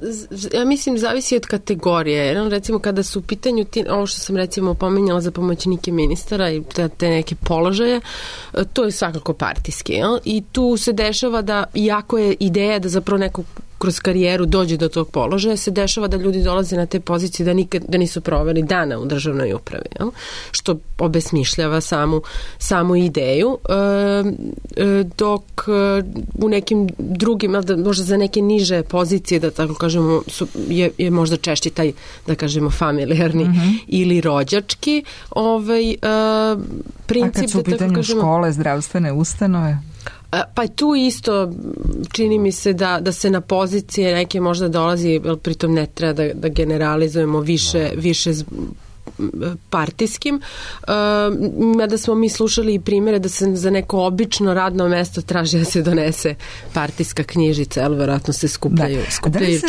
ja mislim zavisi od kategorije. Recimo kada su u pitanju ovo što sam recimo pominjala za pomoćnike ministara i te neke položaje, to je svakako partijski. Jel? I tu se dešava da, iako je ideja da zapravo neko kroz karijeru dođe do tog položaja, se dešava da ljudi dolaze na te pozicije da nisu proveli dana u državnoj upravi, jel? Što obesmišljava samu ideju, dok u nekim drugim, možda za neke niže pozicije, da tako kažemo, je možda češći taj, da kažemo, familijarni ili rođački princip. A kad su u pitanju škole, zdravstvene ustanove? Pa tu isto čini mi se da se na pozicije neke možda dolazi, pritom ne treba da generalizujemo više partijskim, mada smo mi slušali i primjere da se za neko obično radno mesto traži da se donese partijska knjižica, ali verovatno se skupljaju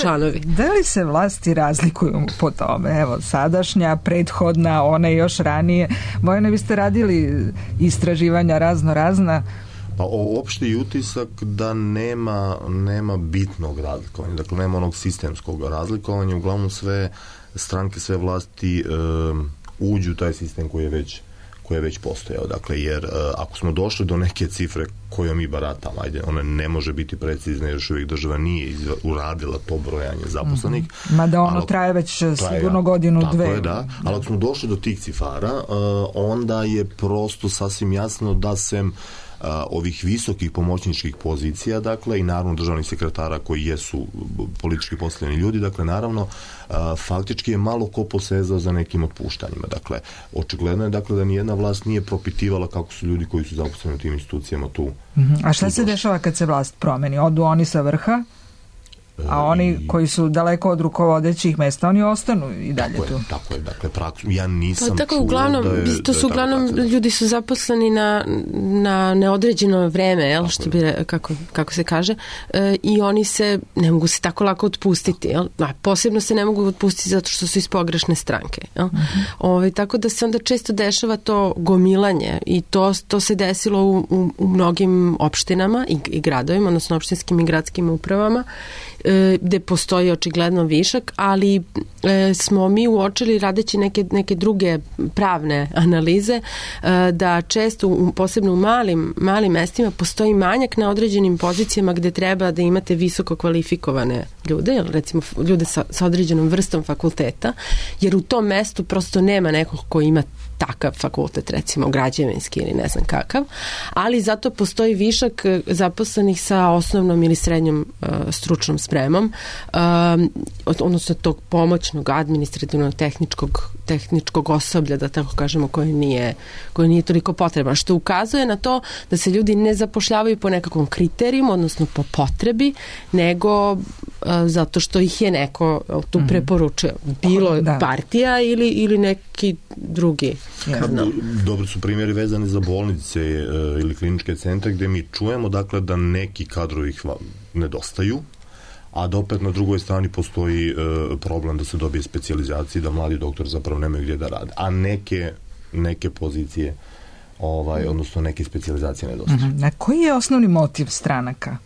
članovi. Da li se vlasti razlikuju po tome? Evo, sadašnja, prethodna, one još ranije. Bojane, vi ste radili istraživanja razna. Pa opšti utisak da nema bitnog razlikovanja, dakle nema onog sistemskog razlikovanja, uglavnom sve stranke, sve vlasti uđu u taj sistem koji je već postojao, dakle jer ako smo došli do neke cifre koje mi baratamo, ona ne može biti precizna, još uvijek država nije uradila to brojanje zaposlenih. Mada ono traje već sigurno godinu, dve. Tako je, da, ali ako smo došli do tih cifara, onda je prosto sasvim jasno da sem ovih visokih pomoćničkih pozicija, dakle, i naravno državnih sekretara koji jesu politički postavljeni ljudi, dakle, naravno, faktički je malo ko posezao za nekim otpuštanjima. Dakle, očigledno je, dakle, da nijedna vlast nije propitivala kako su ljudi koji su zaposleni u tim institucijama tu. A šta se dešava kad se vlast promeni? Odu oni sa vrha? A oni koji su daleko od rukovodećih mesta, oni ostanu i dalje tu. Tako je, dakle, ja nisam čuo uglavnom ljudi su zaposleni na neodređeno vreme, jel, što bi, kako se kaže, i oni se ne mogu se tako lako otpustiti, jel? A posebno se ne mogu otpustiti zato što su iz pogrešne stranke, jel? Tako da se onda često dešava to gomilanje i to se desilo u mnogim opštinama i gradovima, odnosno opštinskim i gradskim upravama, gde postoji očigledno višak, ali smo mi uočili radeći neke druge pravne analize da često, posebno u malim mestima, postoji manjak na određenim pozicijama gde treba da imate visoko kvalifikovane ljude, recimo ljude sa određenom vrstom fakulteta, jer u tom mestu prosto nema nekog ko ima takav fakultet, recimo građevinski ili ne znam kakav, ali zato postoji višak zaposlenih sa osnovnom ili srednjom stručnom spremom, odnosno tog pomoćnog administrativnog tehničkog osoblja, da tako kažemo, koje nije toliko potrebno, što ukazuje na to da se ljudi ne zapošljavaju po nekakvom kriterijumu, odnosno po potrebi, nego zato što ih je neko tu preporučio. Bilo partija ili neki drugi kanal. Dobri su primjeri vezani za bolnice ili kliničke centre gdje mi čujemo dakle da neki kadrovi nedostaju, a da opet na drugoj strani postoji problem da se dobije specijalizacija, da mladi doktori zapravo nemaju gdje da rade, a neke pozicije odnosno neke specijalizacije nedostaju. Na koji je osnovni motiv stranaka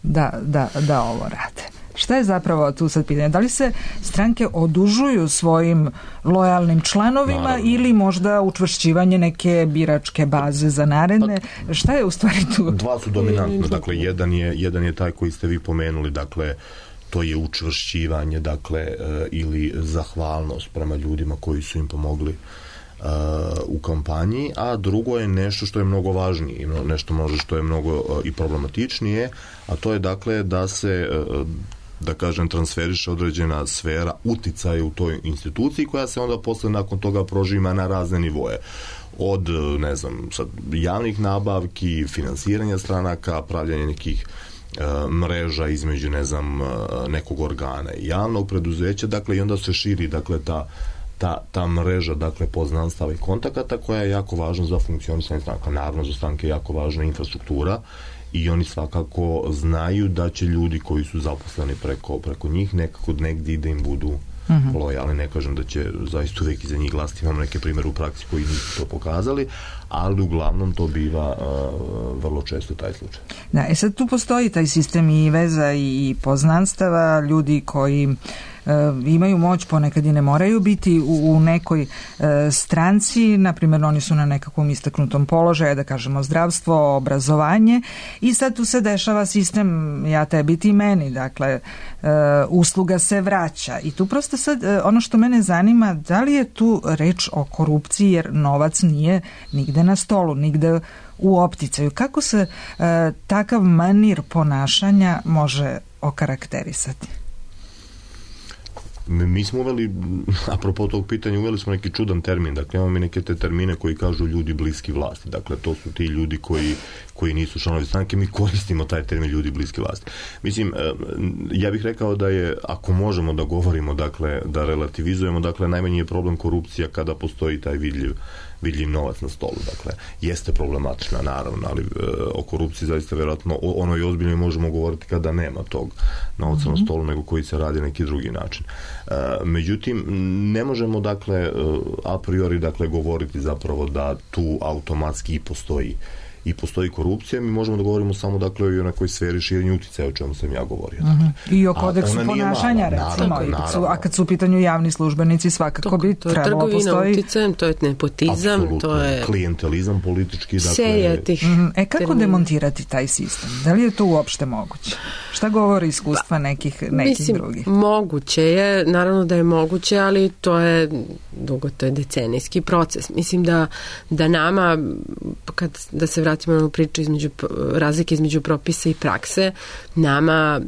da ovo rade? Šta je zapravo tu sad pitanje? Da li se stranke odužuju svojim lojalnim članovima ili možda učvršćivanje neke biračke baze za naredne? Šta je u stvari tu? Dva su dominantna. Dakle, jedan je taj koji ste vi pomenuli, dakle, to je učvršćivanje, dakle, ili zahvalnost prema ljudima koji su im pomogli u kampanji, a drugo je nešto što je mnogo važnije, nešto može što je mnogo i problematičnije, a to je dakle da se da kažem transferiše određena sfera uticaja u toj instituciji koja se onda posle nakon toga prožima na razne nivoje. Od, ne znam, sad, javnih nabavki, finansiranja stranaka, pravljanja nekih mreža između, ne znam, nekog organa i javnog preduzeća, dakle, i onda se širi, dakle, ta mreža, dakle, poznanstava i kontakata koja je jako važna za funkcionisanje stranaka. Naravno, za stranke je jako važna infrastruktura i oni svakako znaju da će ljudi koji su zaposleni preko njih nekako negdje da im budu lojalni. Ne kažem da će zaista uvijek iza njih glasiti. Imamo neke primjere u praksi koji nisu to pokazali, ali uglavnom to biva vrlo često taj slučaj. Da, sad tu postoji taj sistem i veza i poznanstava, ljudi koji imaju moć, ponekad i ne moraju biti u nekoj stranci, na primjer oni su na nekakvom istaknutom položaju, da kažemo zdravstvo, obrazovanje, i sad tu se dešava sistem ja tebi ti meni, dakle usluga se vraća i tu prosto sad ono što mene zanima, da li je tu reč o korupciji jer novac nije nigde na stolu, nigde u opticaju. Kako se takav manir ponašanja može okarakterisati? Mi smo uveli, apropo tog pitanja, uveli smo neki čudan termin, dakle imamo mi neke te termine koji kažu ljudi bliski vlasti, dakle to su ti ljudi koji nisu članovi stranke, mi koristimo taj termin ljudi bliski vlasti. Mislim, ja bih rekao da je, ako možemo da govorimo, dakle, da relativizujemo, dakle, najmanji je problem korupcija kada postoji taj vidljiv novac na stolu, dakle, jeste problematična, naravno, ali o korupciji zaista vjerojatno o onoj ozbiljnoj možemo govoriti kada nema tog novca na stolu, nego koji se radi neki drugi način. Međutim, ne možemo, dakle, a priori, dakle, govoriti zapravo da tu automatski i postoji korupcija, mi možemo da govorimo samo, dakle, i o nekoj sferi širenja uticaja, o čemu sam ja govorio. I o kodeksu ponašanja, recimo, a kad su u pitanju javni službenici, svakako bi trebalo postoji... To je trgovina uticajem, to je nepotizam, to je... klijentelizam politički, dakle... Serija tih... Kako demontirati taj sistem? Da li je to uopšte moguće? Šta govori iskustva nekih drugih? Moguće je, naravno da je moguće, ali to je decenijski proces. Mislim da nama, da se vratimo na priču razlike između propisa i prakse, nama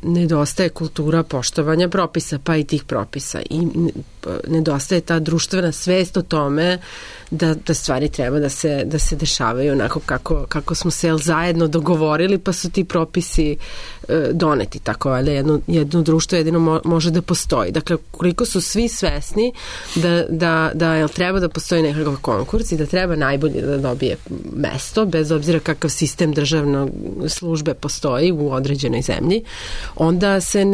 nedostaje kultura poštovanja propisa, pa i tih propisa. I nedostaje ta društvena svest o tome da stvari treba da se dešavaju onako kako smo se zajedno dogovorili, pa su ti propisi doneti. Tako, valjda jedno društvo jedino može da postoji. Dakle, koliko su svi svesni da treba da postoji nekakav konkurs i da treba najbolje da dobije mesto, bez obzira kakav sistem državne službe postoji u određenoj zemlji, onda se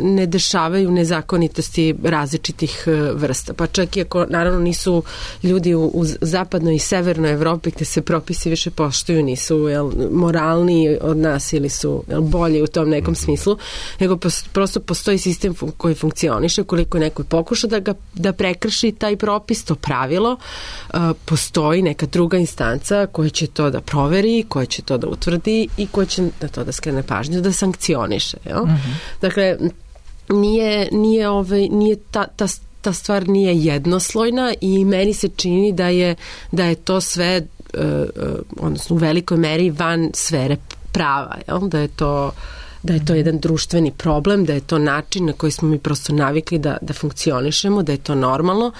ne dešavaju nezakonitosti različitih vrsta. Pa čak i ako, naravno, nisu ljudi u zapadnoj i severnoj Evropi gde se propisi više poštuju, nisu moralniji od nas ili su bolji u tom nekom smislu, nego prosto postoji sistem koji funkcioniše. Koliko neko pokuša da prekrši taj propis, to pravilo, postoji neka druga instanca koja će to da proveri, koja će to da utvrdi i koja će na to da skrene pažnju, da sankcioniše. Dakle, nije ta stvar nije jednoslojna i meni se čini da je to sve odnosno u velikoj meri van sfere prava, da je to da je to jedan društveni problem, da je to način na koji smo mi prosto navikli da funkcionišemo, da je to normalno.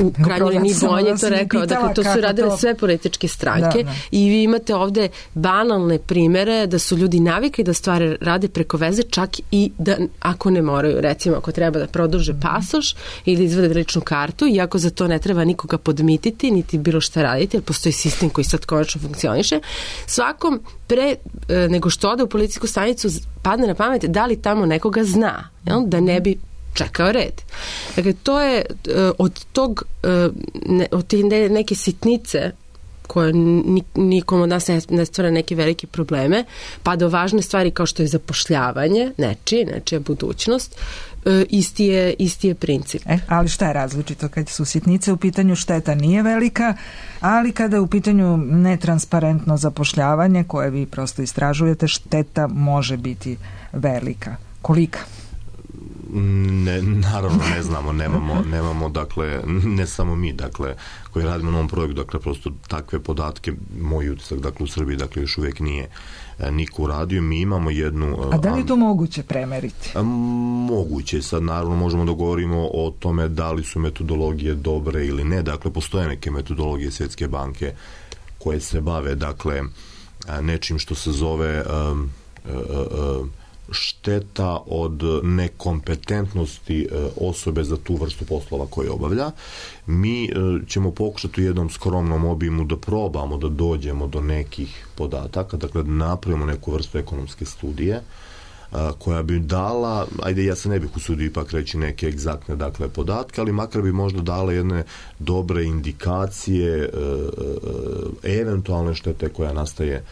U krajnjoj liniji Bojan je to rekao, dakle to su radile sve političke stranke i vi imate ovde banalne primere da su ljudi navikli da stvari rade preko veze, čak i da ako ne moraju, recimo ako treba da produže pasoš ili izvade ličnu kartu, iako za to ne treba nikoga podmititi, niti bilo šta raditi, jer postoji sistem koji sad konačno funkcioniše. Svakom pre nego što ode u policijsku stanicu padne na pamet da li tamo nekoga zna, jel? Da ne bi čekao red. Dakle, to je od te neke sitnice koje nikom od nas ne stvara neke velike probleme, pa do važne stvari kao što je zapošljavanje, nečija budućnost, isti je princip. Ali šta je različito kad su sitnice u pitanju, šteta nije velika, ali kada je u pitanju netransparentno zapošljavanje koje vi prosto istražujete, šteta može biti velika. Kolika? Naravno ne znamo, nemamo dakle, ne samo mi, dakle, koji radimo na ovom projektu, dakle, prosto takve podatke, moj utisak, dakle, u Srbiji, dakle, još uvijek nije niko uradio. Mi imamo jednu... A da li je to moguće premeriti? Moguće, sad naravno možemo da govorimo o tome da li su metodologije dobre ili ne, dakle, postoje neke metodologije Svjetske banke koje se bave, dakle, nečim što se zove šteta od nekompetentnosti osobe za tu vrstu poslova koje obavlja. Mi ćemo pokušati u jednom skromnom obimu da probamo da dođemo do nekih podataka, dakle da napravimo neku vrstu ekonomske studije koja bi dala, ajde ja se ne bih usudio ipak reći neke egzaktne dakle podatke, ali makar bi možda dala jedne dobre indikacije eventualne štete koja nastaje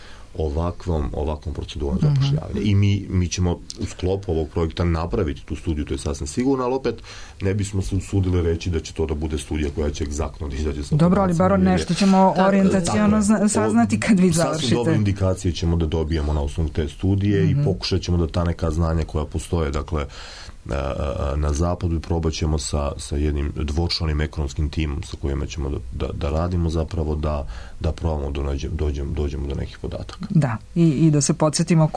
ovakvom procedurom zapošljavanja. I mi ćemo u sklopu ovog projekta napraviti tu studiju, to je sasvim sigurno, ali opet ne bismo se usudili reći da će to da bude studija koja će egzaktno da izađe sa... Dobro, ali bar nešto ćemo orijentacijono saznati kad vi završite. Sasvim dobre indikacije ćemo da dobijemo na osnovu te studije i pokušat ćemo da ta neka znanja koja postoje, dakle, na zapadu i probat ćemo sa jednim dvočlanim ekonomskim timom sa kojima ćemo da radimo zapravo da probamo dođemo do nekih podataka. Da, i da se podsjetimo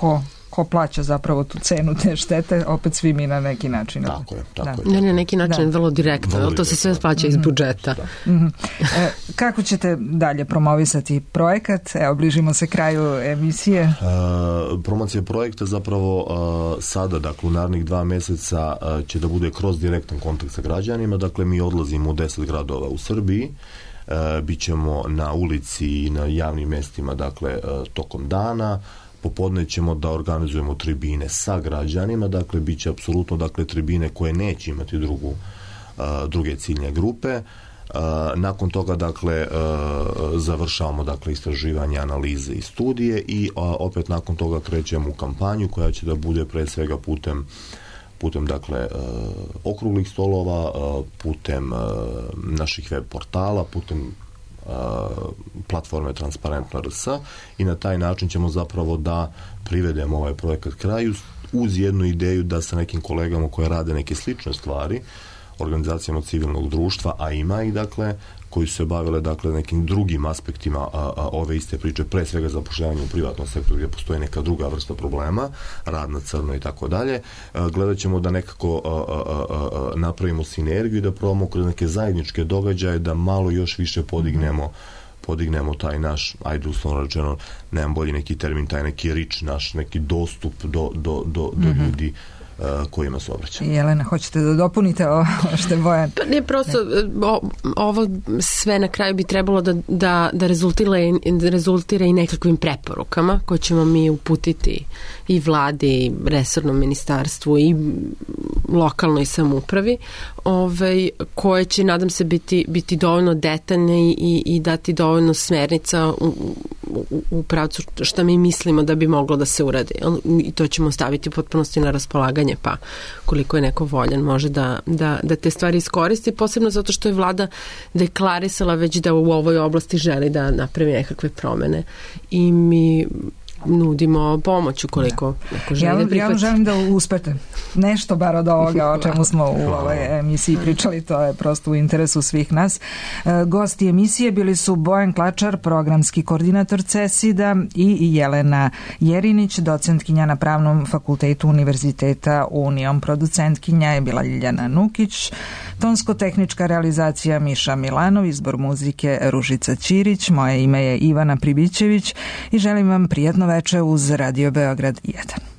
ko plaća zapravo tu cenu te štete, opet svi mi na neki način. Tako je. Ne, na neki način vrlo direktno, to se sve plaća iz budžeta. Kako ćete dalje promovisati projekat? Evo, bližimo se kraju emisije. Promocija projekta zapravo sada, dakle, u narednih 2 mjeseca će da bude kroz direktan kontakt sa građanima. Dakle, mi odlazimo u 10 gradova u Srbiji. Bićemo na ulici i na javnim mjestima, dakle, tokom dana. Popodne ćemo da organizujemo tribine sa građanima, dakle, bit će apsolutno, dakle, tribine koje neće imati druge ciljne grupe. Nakon toga, dakle, završavamo, dakle, istraživanje, analize i studije i opet nakon toga krećemo u kampanju koja će da bude pre svega putem dakle, okruglih stolova, putem naših web portala, putem platforme Transparentno RS i na taj način ćemo zapravo da privedemo ovaj projekat kraju uz jednu ideju da sa nekim kolegama koje rade neke slične stvari, organizacijama civilnog društva, a ima i dakle koji su se bavile dakle nekim drugim aspektima ove iste priče, pre svega zapošljavanje u privatnom sektoru gdje postoji neka druga vrsta problema, rad na crno i tako dalje. Gledat ćemo da nekako napravimo sinergiju i da probamo kroz neke zajedničke događaje da malo još više podignemo taj naš, ajde uslovno rečeno, nemam bolji neki termin, taj neki rič naš, neki dostup do ljudi kojima se obraća. Jelena, hoćete da dopunite ovo što je Bojan? Pa ne, prosto ovo sve na kraju bi trebalo da rezultira i nekakvim preporukama koje ćemo mi uputiti i vladi, i resornom ministarstvu i lokalnoj samoupravi, koje će, nadam se, biti dovoljno detaljne i dati dovoljno smernica u pravcu šta mi mislimo da bi moglo da se uradi. I to ćemo staviti u potpunosti na raspolaganje, pa koliko je neko voljan može da te stvari iskoristi, posebno zato što je vlada deklarisala već da u ovoj oblasti želi da napravi nekakve promene. I mi nudimo pomoć ukoliko žele prihvatiti. Ja vam želim da uspete nešto bar od ovoga o čemu smo u ovoj emisiji pričali, to je prosto u interesu svih nas. Gosti emisije bili su Bojan Klačar, programski koordinator CESID-a, i Jelena Jerinić, docentkinja na Pravnom fakultetu Univerziteta Union. Producentkinja je bila Ljiljana Nukić, tonsko-tehnička realizacija Miša Milanov, izbor muzike Ružica Ćirić, moje ime je Ivana Pribićević i želim vam prijatno veče uz Radio Beograd 1.